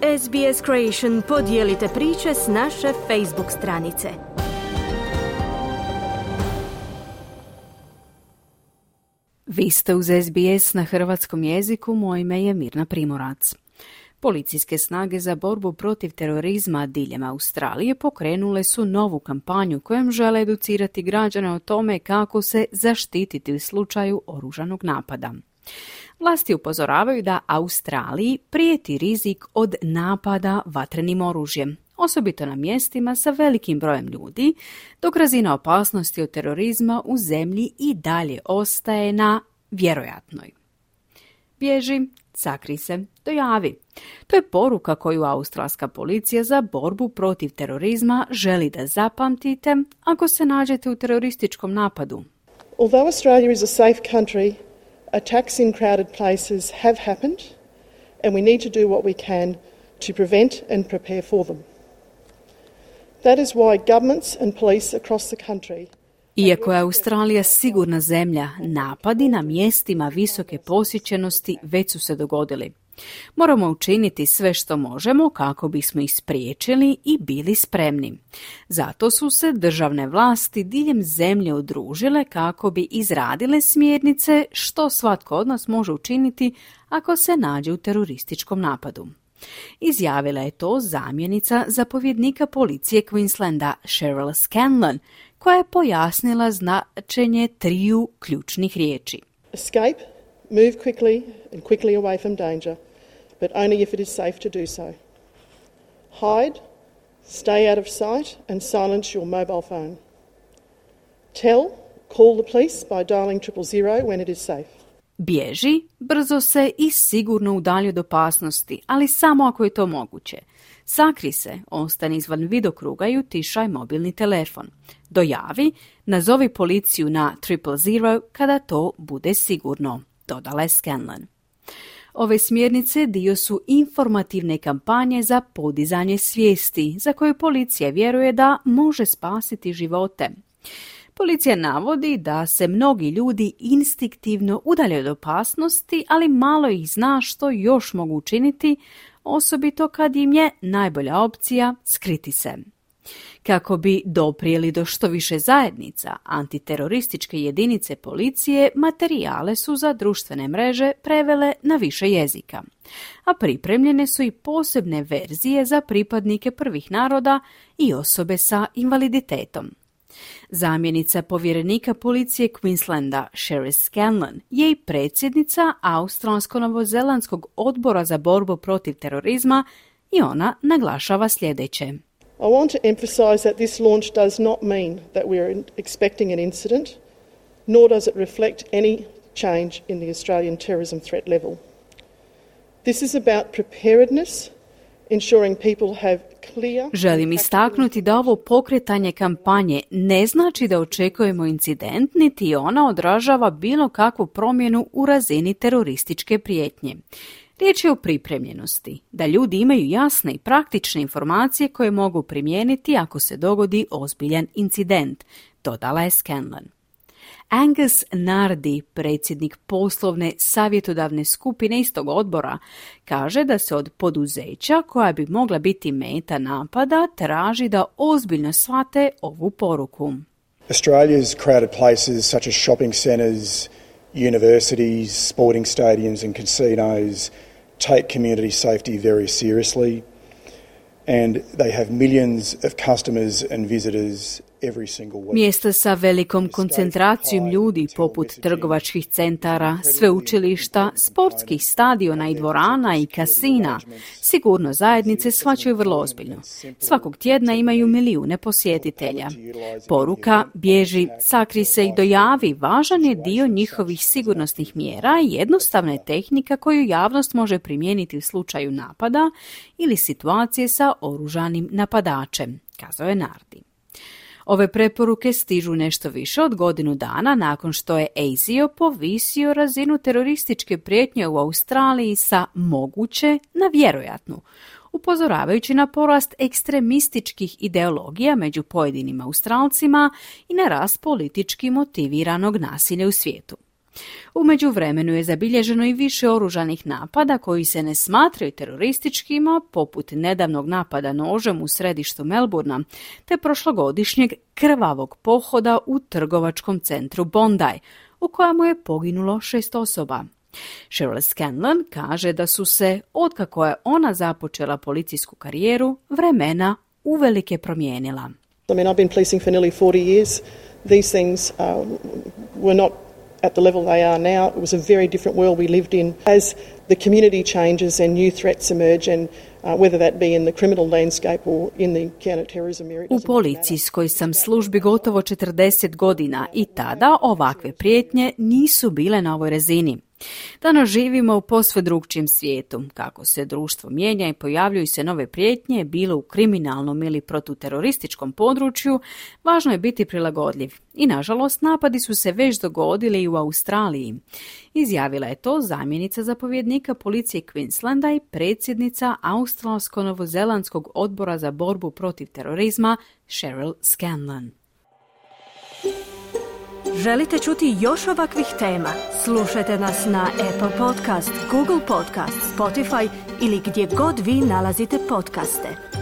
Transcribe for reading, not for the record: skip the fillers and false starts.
SBS Creation, podijelite priče s naše Facebook stranice. Vi ste uz SBS na hrvatskom jeziku, moje ime je Mirna Primorac. Policijske snage za borbu protiv terorizma diljem Australije pokrenule su novu kampanju kojom žele educirati građane o tome kako se zaštititi u slučaju oružanog napada. Vlasti upozoravaju da Australiji prijeti rizik od napada vatrenim oružjem, osobito na mjestima sa velikim brojem ljudi, dok razina opasnosti od terorizma u zemlji i dalje ostaje na vjerojatnoj. Bježi, sakri se, dojavi. To je poruka koju australska policija za borbu protiv terorizma želi da zapamtite ako se nađete u terorističkom napadu. Although Australia is a safe country, attacks in crowded places have happened and we need to do what we can to prevent and prepare for them. That is why governments and police across the country. Iako je Australija sigurna zemlja, napadi na mjestima visoke posjećenosti već su se dogodili. Moramo učiniti sve što možemo kako bismo ih spriječili i bili spremni. Zato su se državne vlasti diljem zemlje udružile kako bi izradile smjernice što svatko od nas može učiniti ako se nađe u terorističkom napadu. Izjavila je to zamjenica zapovjednika policije Queenslanda Cheryl Scanlon, koja je pojasnila značenje triju ključnih riječi. Escape, move quickly and quickly away from danger, but only if it is safe to do so. Hide, stay out of sight and silence your mobile phone. Call the police by dialing 000 when it is safe. Bježi, brzo se i sigurno udalji od opasnosti, ali samo ako je to moguće. Sakri se, ostani izvan vidokruga i utišaj mobilni telefon. Dojavi, nazovi policiju na 000 kada to bude sigurno, dodala je Scanlon. Ove smjernice dio su informativne kampanje za podizanje svijesti, za koju policija vjeruje da može spasiti živote. Policija navodi da se mnogi ljudi instinktivno udalje od opasnosti, ali malo ih zna što još mogu učiniti, osobito kad im je najbolja opcija skriti se. Kako bi doprijeli do što više zajednica, antiterorističke jedinice policije materijale su za društvene mreže prevele na više jezika, a pripremljene su i posebne verzije za pripadnike prvih naroda i osobe sa invaliditetom. Zamjenica povjerenika policije Queenslanda Cheryl Scanlon je i predsjednica Australsko-novozelandskog odbora za borbu protiv terorizma i ona naglašava sljedeće. I want to emphasise that this launch does not mean that we are expecting an incident, nor does it reflect any change in the Australian terrorism threat level. This is about preparedness, ensuring people have clear... Želim istaknuti da ovo pokretanje kampanje ne znači da očekujemo incident, niti ona odražava bilo kakvu promjenu u razini terorističke prijetnje. Riječ je o pripremljenosti, da ljudi imaju jasne i praktične informacije koje mogu primijeniti ako se dogodi ozbiljan incident, dodala je Scanlon. Angus Nardi, predsjednik poslovne savjetodavne skupine istog odbora, kaže da se od poduzeća koja bi mogla biti meta napada traži da ozbiljno shvate ovu poruku. Australia's crowded places such as shopping centres, universities, sporting stadiums and casinos take community safety very seriously, and they have millions of customers and visitors every single week. Mjesta sa velikom koncentracijom ljudi poput trgovačkih centara, sveučilišta, sportskih stadiona i dvorana i kasina sigurno zajednice shvaćaju vrlo ozbiljno. Svakog tjedna imaju milijune posjetitelja. Poruka bježi, sakri se i dojavi važan je dio njihovih sigurnosnih mjera i jednostavna je tehnika koju javnost može primijeniti u slučaju napada ili situacije sa oružanim napadačem, kazao je Nardi. Ove preporuke stižu nešto više od godinu dana nakon što je ASIO povisio razinu terorističke prijetnje u Australiji sa moguće na vjerojatnu, upozoravajući na porast ekstremističkih ideologija među pojedinim Australcima i na rast politički motiviranog nasilja u svijetu. U međuvremenu je zabilježeno i više oružanih napada koji se ne smatraju terorističkima, poput nedavnog napada nožem u središtu Melbourna, te prošlogodišnjeg krvavog pohoda u trgovačkom centru Bondi, u kojemu je poginulo 6 osoba. Cheryl Scanlon kaže da su se, otkako je ona započela policijsku karijeru, vremena uvelike promijenila. I mean, I've been policing for nearly 40 years. These things were not at the level they are now. It was a very different world we lived in. As the community changes and new threats emerge, and whether that be in the criminal landscape or in the counter-terrorism area. U policijskoj sam službi gotovo 40 godina i tada ovakve prijetnje nisu bile na ovoj razini. Danas živimo u posve drugčijem svijetu. Kako se društvo mijenja i pojavljuju se nove prijetnje, bilo u kriminalnom ili protuterorističkom području, važno je biti prilagodljiv. I nažalost, napadi su se već dogodili i u Australiji. Izjavila je to zamjenica zapovjednika policije Queenslanda i predsjednica Australsko-novozelandskog odbora za borbu protiv terorizma Cheryl Scanlon. Želite čuti još ovakvih tema? Slušajte nas na Apple Podcast, Google Podcast, Spotify ili gdje god vi nalazite podcaste.